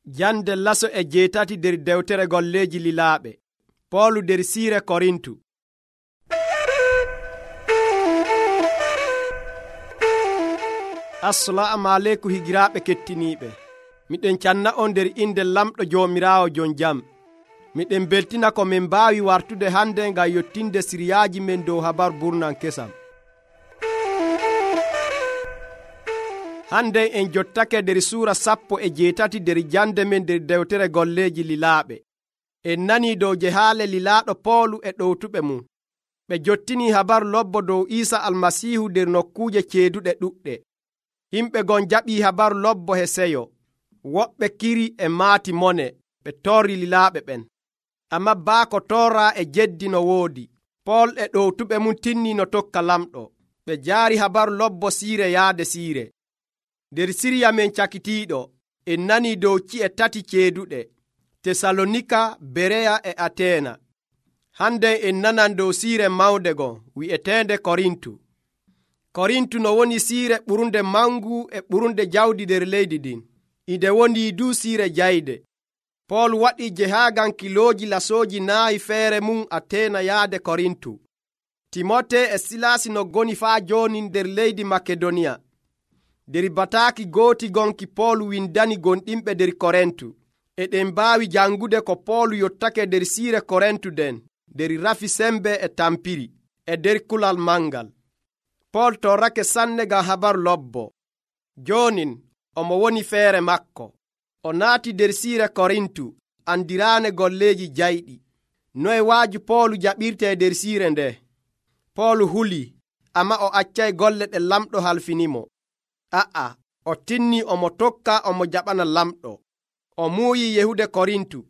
Jande laso e jeetati nder dewtere golleeji lilaaɓe. Poolu nder siire Korintu. Assalamu aleykum higiraaɓe kettiniiɓe. Miɗen canna on nder inde lamɗo Joomiraawo jon jam. Miɗen beltina ko min mbaawi wartude hande ngam yottinde siriyaaji men dow habaru burnan kesam. Hande en jottake nder suura 17 nder jande men nder dewtere golleeji lilaaɓe. En nanii dow jehaale lilaaɗo Poolu e ɗowtuɓe mum. Ɓe jottini habaru lobbo dow Iisa Almasiihu nder nokkuuje ceeduɗe ɗuɗɗe. Himɓe gon jaɓii habaru lobbo he seyo. Woɓɓe kiri e maati mone ɓe torri lilaaɓe ɓen. Ammaa baako torraa e jeddi no woodi. Pool e ɗowtuɓe mum tinni no tokka lamɗo. Ɓe jaari habaru lobbo siire yaade siire. Nder siriya men cakitiiɗo, en nanii dow ci'e 3 ceeduɗe: Tesalonika, Bereya e Ateena. Hande en nanan dow siire mawnde gon wi'eteende Korintu. Korintu no woni siire ɓurnde mangu e ɓurnde jawdi nder leydi ɗin. Inde woni du siire jayde. Pool waɗi jehaagan kilooji lasooji 4 feere mum Ateena yaade Korintu. Timote e Silasi no goni faa jooni nder leydi Makedoniya. Der bataaki gooti gonki Pool windani gonɗinɓe nder Korintu. Eɗen mbaawi jangude ko Pool yottake nder siire Korintu den nder rafi sembe e tampiri e nder kulal mangal. Pool torrake sanne ngam habaru lobbo. Joonin omo woni feere makko. O naati nder siire Korintu andiraane golleeji jayɗi. Noye waaju Poolu jaɓirte nder siire nde? Poolu hulii, amma o accay golle ɗe lamɗo halfinimo. O tinni omo tokka omo jaɓana lamɗo. O muuyi yehude Korintu.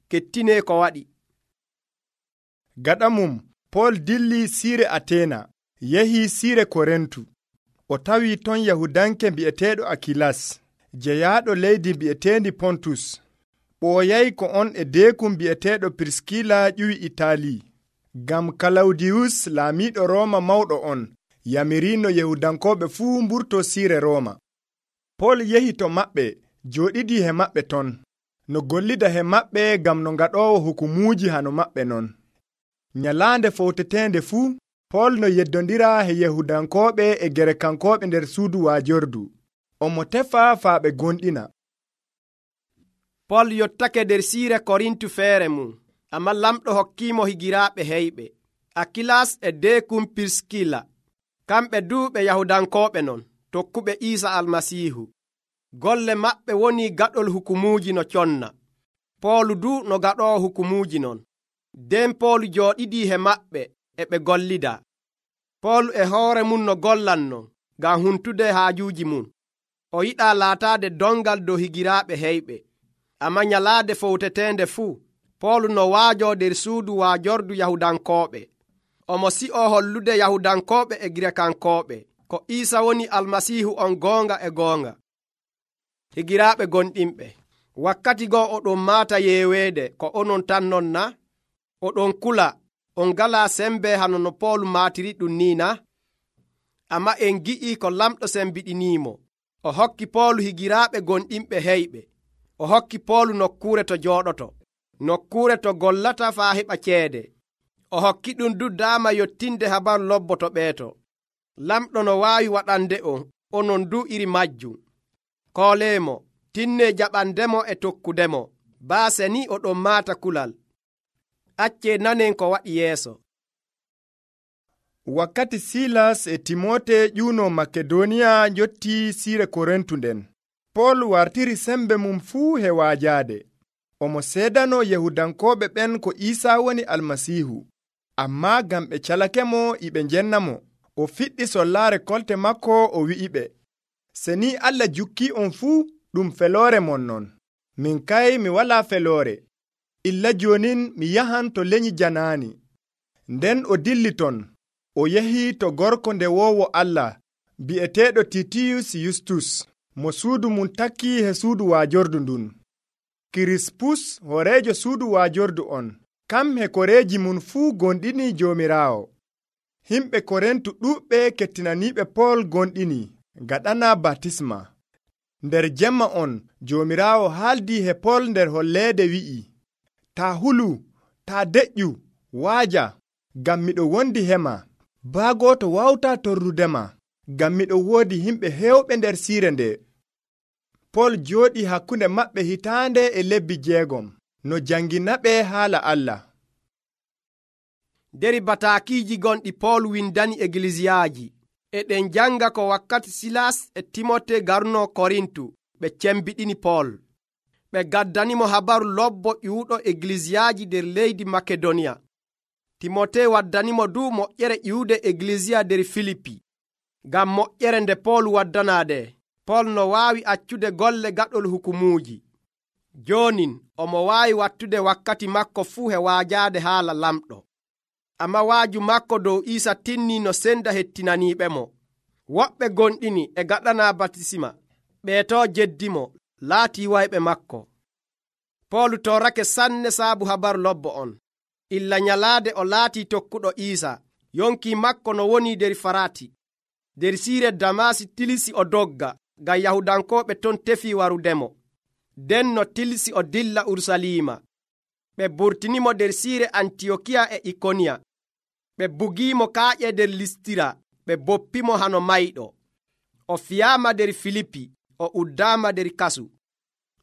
Kettinee ko waɗi. Gaɗa mum, Pool dilli siire Ateena, yahii siire Korintu. O tawi ton Yahudanke bi'eteeɗo Akilas, jeyaaɗo leydi bi'eteendi Pontus. Ɓooyay ko on e deekum bi'eteeɗo Pirskila ƴiwi Itaali. Ngam Kalawdiyus laamiiɗo Rooma mawɗo on, yamirino Yahudankooɓe fuu mburto siire Rooma. Pool yehi to maɓɓe, jooɗidii he maɓɓe ton, no gollida he maɓɓe ngam no ngaɗoowo hukumuuji hano maɓɓe non. Nyalaande fowteteende fuu, Pool no yeddondira he Yahudankooɓe e Gerekankooɓe nder suudu waajordu. Omo tefa faa ɓe gonɗina. Pool yottake nder siire Korintu feere mum, amma lamɗo hokkiimo higiraaɓe heyɓe, Akilas e deekum Pirskila. Kamɓe duuɓe Yahudankooɓe non, tokkuɓe Iisa Almasiihu. Golle maɓɓe woni gaɗol hukumuuji no conna. Poolu du no gaɗoowo hukumuuji non. Nden Poolu jooɗidii he maɓɓe e ɓe gollida. Poolu e hoore mum no gollanno ngam huntude haajuuji mum. O yiɗaa laataade dongal dow higiraaɓe heyɓe. Amma nyalaade fowteteende fuu, Poolu no waajoo nder suudu waajordu Yahudankooɓe. Omo si'oo hollude Yahudankooɓe e Girekankooɓe ko Iisa woni Almasiihu on goonga e goonga. Higiraaɓe gonɗinɓe, wakkati goo oɗon maata yeeweede ko onon tan non na? Oɗon kula, on ngalaa sembe hano no Poolu maatiri ɗum ni na? Amma en gi'ii ko lamɗo sembiɗiniimo. O hokki Poolu higiraaɓe gonɗinɓe heyɓe. O hokki Poolu nokkuure to jooɗoto, nokkuure to gollata faa heɓa ceede. O hokki ɗum du daama yottinde habaru lobbo to ɓeeto. Lamɗo no waawi waɗande onon du iri majjum. Kooleemo, tinnee jaɓandemo e tokkudemo, baase ni oɗon maata kulal. Accee nanen ko waɗi yeeso. Wakkati Silas e Timote ƴuuno Makedoniya jotti siire Korintu nden, Pool wartiri sembe mum fuu he waajaade. Omo seedano Yahudankooɓe ɓen ko Iisa woni Almasiihu. Ammaa ngam ɓe calakemo iɓe njennamo, o fiɗɗi sollaare kolte makko o wi'iɓe, se ni Allah jukkii on fuu ɗum feloore mon non. Min kay mi walaa feloore. Illa joonin mi yahan to leñi janaani. Nden o dilli ton, o yehi to gorko ndewoowo Allah, bi'eteeɗo Titiyus Yustus, mo suudu mum takkii he suudu waajordu ndun. Kirispus horeejo suudu waajordu on, kam he koreeji mum fuu gonɗini Joomiraawo. Himɓe Korintu ɗuuɓɓe kettinaniiɓe Pool gonɗini, gaɗana baptisma. Nder jemma on Joomiraawo haaldii he Pol nder holleede wi'i, taa hulu, taa deƴƴu, waaja, ngam miɗo wondi hema. Baa gooto wawtaa torrudema, ngam miɗo woodi himɓe heewɓe nder siire nde. Pol jooɗii hakkunde maɓɓe hitaande e lebbi 6 no janginaɓe haala Allah. Nder bataakiiji gonɗi Pol windani egliziyaaji. E ɗen janga ko wakkati Silas e Timote garno Korintu ɓe cembiɗini Pol. Ɓe gaddanimo habaru lobbo ƴuuɗo egliziyaaji nder leydi Makedoniya. Timote waddanimo du moƴƴere ƴiwude egleziya nder Filipi. Ngam moƴƴere nde Pol waddanaade, Pol no waawi accude golle gaɗol hukumuuji. Jonin omo waawi wattude wakkati makko fuu he waajaade haala lamɗo. Amma waaju makko dow Iisa tinni no senda hettinaniiɓemo. Woɓɓe gonɗini e gaɗana batisima, ɓeeto jeddimo, laatii wayɓe makko. Pol torrake sanne saabu habaru lobbo on. Illa nyalaade o laatii tokkuɗo Iisa, yonki makko no woni nder Farati. Nder siire Damasi tilisi o dogga, ngam Yahudankooɓe ton tefi warudemo. Den no tilisi o dilla Urusalima. Ɓe burtinimo nder siire Antiyokiya e Ikoniya. Ɓe bugiimo kaaƴe nder Listira, ɓe boppimo hano mayɗo. O fiyaama nder Filipi, o uddaama nder kasu.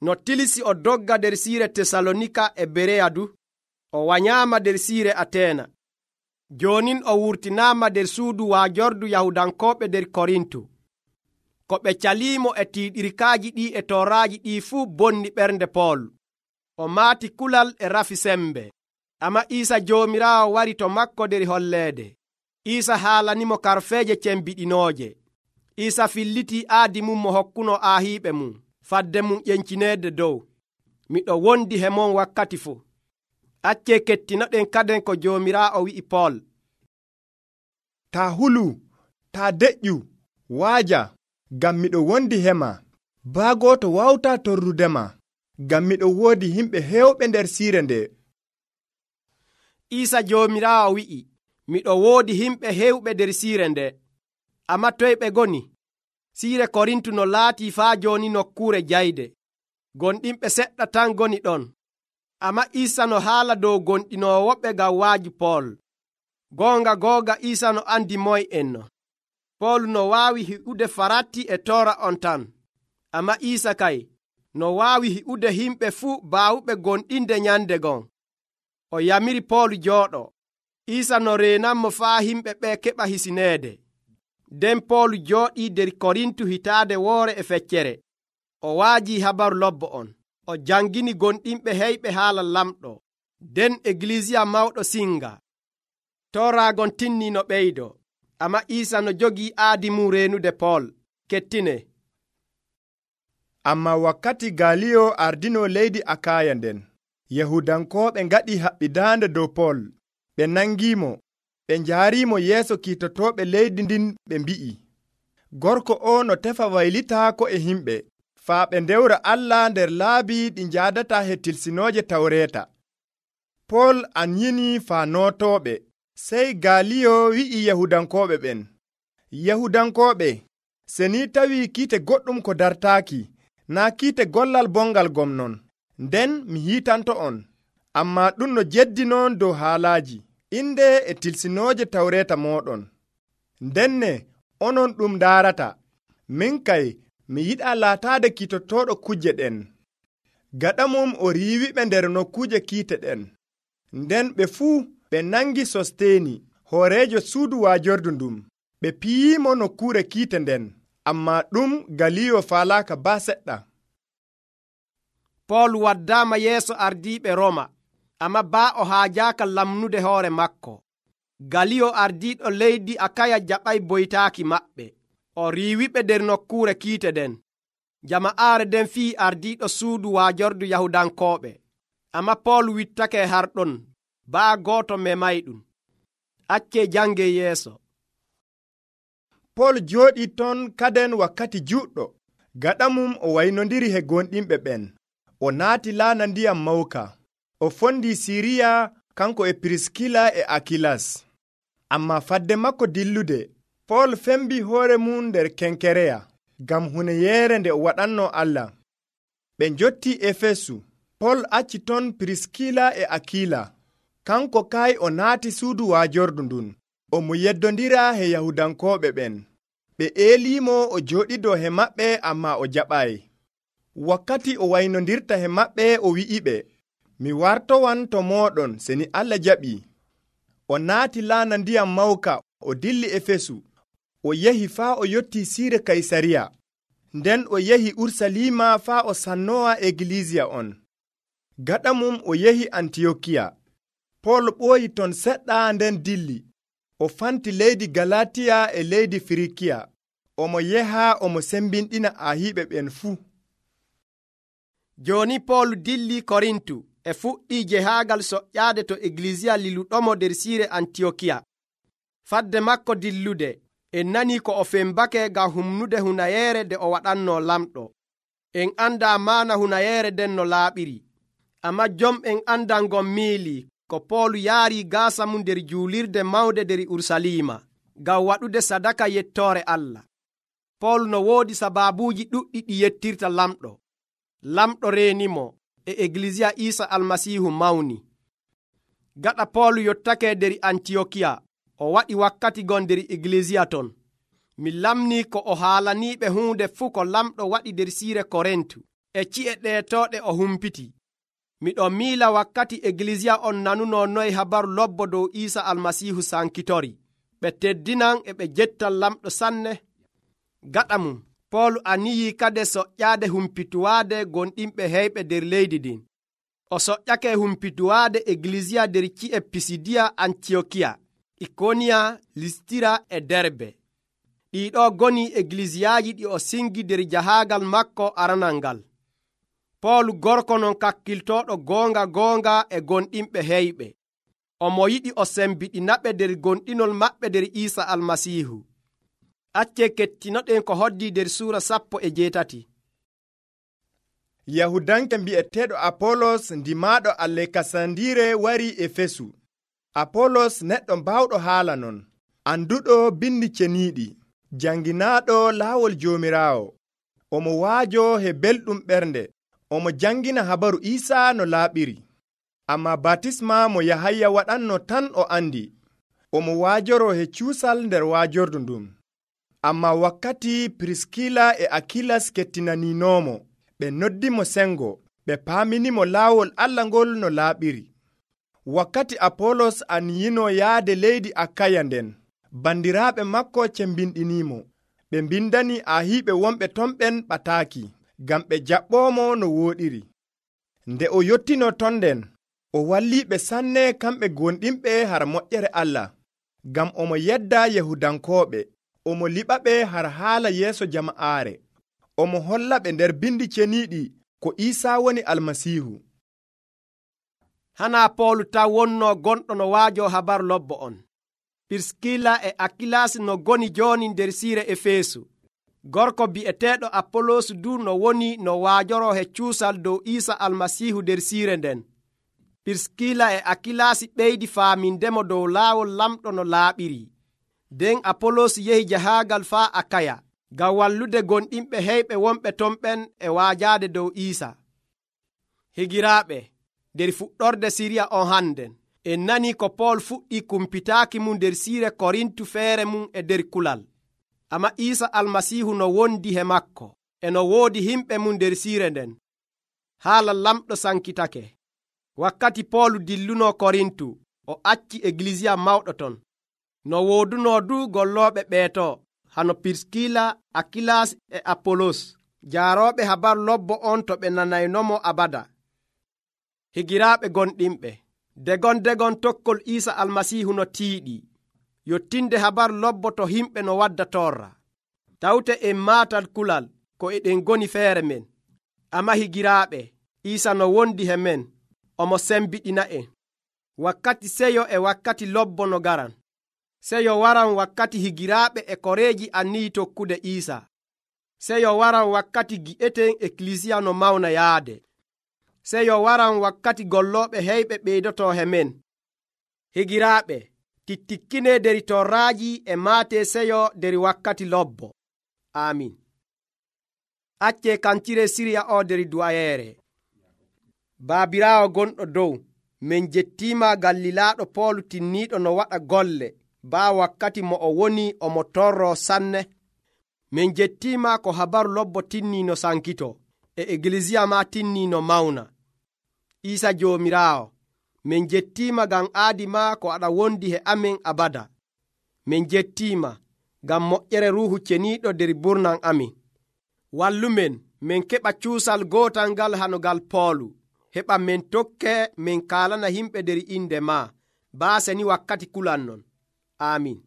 No tilisi o dogga nder siire Tesalonika e Bereya du, o wanyaama nder siire Ateena. Jonin o wurtinaama nder suudu waajordu Yahudankooɓe nder Korintu. Ko ɓe caliimo e tiiɗirkaaji ɗi e tooraaji ɗi fuu bonni ɓernde Pol. O maati kulal e rafi sembe. Amma Iisa Joomiraawo wari to makko nder holleede. Iisa haalanimo karfeeje cembiɗinooje. Iisa fillitii aadi mum mo hokkuno aahiiɓe mum, fadde mum ƴencineede dow. Miɗo wondi he mon wakkati fuu. Accee kettinoɗen kaden ko Joomiraawo wi'i Pol. Taa hulu, taa deƴƴu, waaja, ngam miɗo wondi hema. Baa gooto wawtaa torrudema, ngam miɗo woodi himɓe heewɓe nder siire nde. Iisa Joomiraawo wi'i, miɗo woodi himɓe heewɓe nder siire nde. Amma toye ɓe goni? Siire Korintu no laatii faa jooni nokkuure jayde. Gonɗinɓe seɗɗa tan goni ɗon. Amma Iisa no haala dow gonɗinoowoɓe ngam waaju Pol. Goonga Iisa no andi moye en no. Pol no waawi hi'ude Farati e toora on tan. Amma Iisa kay no waawi hi'ude himɓe fuu baawuɓe gonɗinde nyande gon. O yamiri Pol jooɗo. Iisa no reenanmo faa himɓe ɓe keɓa hisineede. Nden Pol jooɗii nder Korintu hitaade woore e feccere. O waajii habaru lobbo on. O jangini gonɗinɓe heyɓe haala lamɗo. Nden eglisiya mawɗo singa. Tooraagon tinni no ɓeydo. Amma Iisa no jogii aadi mum reenude Pol. Kettine. Amma wakkati Galiyo ardino leydi Akaya nden, Yahudankooɓe ngaɗi haɓɓidaande dow Pol. Ɓe nangiimo, ɓe njaariimo yeeso kiitotooɓe leydi ndin ɓe mbi'i, gorko o no tefa waylitaako e himɓe, faa ɓe ndewra Allah nder laabi ɗi njaadata he tilsinooje Tawreeta. Pol anyini faa nootooɓe. Sey Galiyo wi'i Yahudankooɓe ɓen, Yahudankooɓe, se ni tawii kiite goɗɗum ko dartaaki, naa kiite gollal bongal gomnon, nden mi hiitanto on. Ammaa ɗum no jeddinon dow haalaaji, inde e tilsinooje Tawreeta mooɗon. Ndenne onon ɗum ndaarata. Min kay mi yiɗaa laataade kiitotooɗo kujje ɗen. Gaɗa mum o riiwiɓe nder nokkuuje kiite ɗen. Nden ɓe fuu ɓe nangi Sosteeni, hooreejo suudu waajordu ndun. Ɓe piyiimo nokkuure kiite nden, ammaa ɗum Galiyo faalaaka baa seɗɗa. Pol waddaama yeeso ardiiɓe Roma, amma baa o haajaaka lamnude hoore makko. Galiyo ardiiɗo leydi Akaya jaɓay boytaaki maɓɓe. O riiwiɓe nder nokkuure kiite den. Jama'aare den fii ardiiɗo suudu waajordu Yahudankooɓe. Amma Pol wittake harɗon, baa gooto memayɗum. Accee jange yeeso. Pol jooɗii ton kaden wakkati juɗɗo. Gaɗa mum o waynondiri he gonɗinɓe ɓen. O naati laana ndiyam mawka. O fondi Siriya kanko e Piriskila e Akilas. Amma fadde makko dillude, Pol fembi hoore mum nder Kenkereya. ngam huneyeere nde o waɗanno Allah. Ɓe njotti Efesu. Pol acci ton Piriskila e Akila. Kanko kay o naati suudu waajordu ndun. O mo yeddondira he Yahudankooɓe ɓen. Ɓe eelimo o jooɗido he maɓɓe ammaa o jaɓay. Wakkati o waynondirta he maɓɓe o wi'iɓe, mi wartowan to mooɗon seni Allah jaɓii. O naati laana ndiyam mawka o dilli Efesu. O yehi faa o yotti siire Kaysariya. Nden o yehi Urusalima faa o sannowa egiliisiya on. Gaɗa mum o yehi Antiyokiya. Pol ɓooyi ton seɗɗa nden dilli. O fanti leydi Galatiya e leydi Firikiya. Omo yeha omo sembinɗina ahiiɓe ɓen fuu. Jooni Pol dilli Korintu e fuɗɗi jehaagal soƴƴaade to egiliisiya liluɗomo nder siire Antiyokiya. Fadde makko dillude, en nani ko o fembake ngam humnude hunayeere nde o waɗanno lamɗo. En anda maana hunayeere nden no laaɓiri. Amma jom'en andal ngon miili ko Pol yaari gaasa mum nder juulirde mawnde nder Urusalima ngam waɗude sadaka yettoore Allah. Pol no woodi sabaabuuji ɗuɗɗi ɗi yettirta lamɗo. Lamɗo reenimo e egiliisiya Iisa Almasiihu mawni. Gaɗa Pol yottake nder Antiyokiya, o waɗi wakkati gon nder egiliisiya ton. Mi lamni ko o haalaniiɓe huunde fuu ko lamɗo waɗi nder siire Korintu e ci'e ɗeetooɗe o humpiti. Miɗon miila wakkati egiliisiya on nanuno noye habaru lobbo dow Iisa Almasiihu sankitori. Ɓe teddinan e ɓe jettan lamɗo sanne. Gaɗa mum, Pol aniyi kade soƴƴaade humpituwaade gonɗinɓe heyɓe nder leydi ɗin. O soƴƴake humpituwaade egiliisiya nder ci'e Pisidiya, Antiyokiya, Ikoniya, Listira e Derbe. Ɗiɗo goni egiliisiyaaji ɗi o singi nder jahaagal makko aranal ngal. Pol gorko non kakkiltooɗo goonga e gonɗinɓe heyɓe. Omo yiɗi o sembiɗinaɓe nder gonɗinol maɓɓe nder Iisa Almasiihu. Acce kettinoɗen ko hoddi nder suura 18. Yahudanke mbi'eteeɗo Apolos ndimaaɗo Aleksandiire wari Efesu. Apolos neɗɗo mbawɗo haala non, anduɗo bindi ceniiɗi, janginaaɗo laawol Joomiraawo. Omo waajo he belɗum ɓernde. Omo jangina habaru Iisa no laaɓiri. Amma batisma mo Yahaya waɗanno tan o andi. Omo waajoro he cuusal nder waajordu ndun. Amma wakkati Piriskila e Akilas kettinaninomo, ɓe noddimo sengo, ɓe paaminimo laawol Allah ngol no laaɓiri. Wakkati Apolos aniyino yaade leydi Akaya nden, bandiraaɓe makko cembinɗinimo. Ɓe mbindani ahiiɓe wonɓe ton ɓen ɓataaki, ngam ɓe jaɓɓoomo no wooɗiri. Nde o yottino ton nden, o walliiɓe sanne kamɓe gonɗinɓe har moƴƴere Allah, ngam omo yedda Yahudankooɓe. Omo liɓaɓe har haala yeeso jama'aare. Omo hollaɓe nder bindi ceniiɗi ko Iisa woni Almasiihu. Hana Pol taw wonno gonɗo no waajo habaru lobbo on. Piriskila e Akilas no goni jooni nder siire Efesu. Gorko bi'eteeɗo Apolos du no woni no waajoro he cuusal dow Iisa Almasiihu nder siire nden. Piriskila e Akilas ɓeydi faamindemo dow laawol lamɗo no laaɓiri. Nden Apolos yehi jahaagal faa Akaya ngam wallude gonɗinɓe heyɓe wonɓe ton ɓen e waajaade dow Iisa. Higiraaɓe, nder fuɗɗorde siriya on hannden, en nani ko Pol fuɗɗi kumpitaaki mum nder siire Korintu feere mum e nder kulal. Amma Iisa Almasiihu no wondi he makko, e no woodi himɓe mum nder siire nden. Haala lamɗo sankitake. Wakkati Pol dilluno Korintu, o acci egiliisiya mawɗo ton. No wooduno du gollooɓe ɓeeto, hano Piriskila, Akilas e Apolos, jaarooɓe habaru lobbo on to ɓe nanaynomo abada. Higiraaɓe gonɗinɓe, degon tokkol Iisa Almasiihu no tiiɗi, yottinde habaru lobbo to himɓe no wadda torra. Tawte en maatal kulal ko eɗen goni feere men. Amma higiraaɓe, Iisa no wondi he men, omo sembiɗina en. Wakkati seyo e wakkati lobbo no garan. Seyo waran wakkati higiraaɓe e koreeji anniyi tokkude Iisa. Seyo waran wakkati gi'eten ekkilisiya no mawna yaade. Seyo waran wakkati gollooɓe heyɓe ɓeydoto he men. Higiraaɓe, tittikkine deri torraaji e maate seyo deri wakkati lobbo. Amin. Acce kancire siriya o der du'ayeere. Baabiraawo gonɗo dow, min jettiima ngam lilaaɗo Pool tinniiɗo no waɗa golle baa wakkati mo o woni omo torroo sanne. Min jettiima ko habaru lobbo tinnii no sankito, e egilisiya maa tinnii no mawna. Iisa Joomiraawo, min jettiima ngam aadi maa ko aɗa wondi he amin abada. Min jettiima ngam moƴƴere Ruuhu Ceniiɗo der burnan amin. Wallumen min keɓa cuusal gootal ngal hano ngal Poolu, heɓa min tokkee min kaalana yimɓe der inde maa, baase ni wakkati kulan non. Aamin.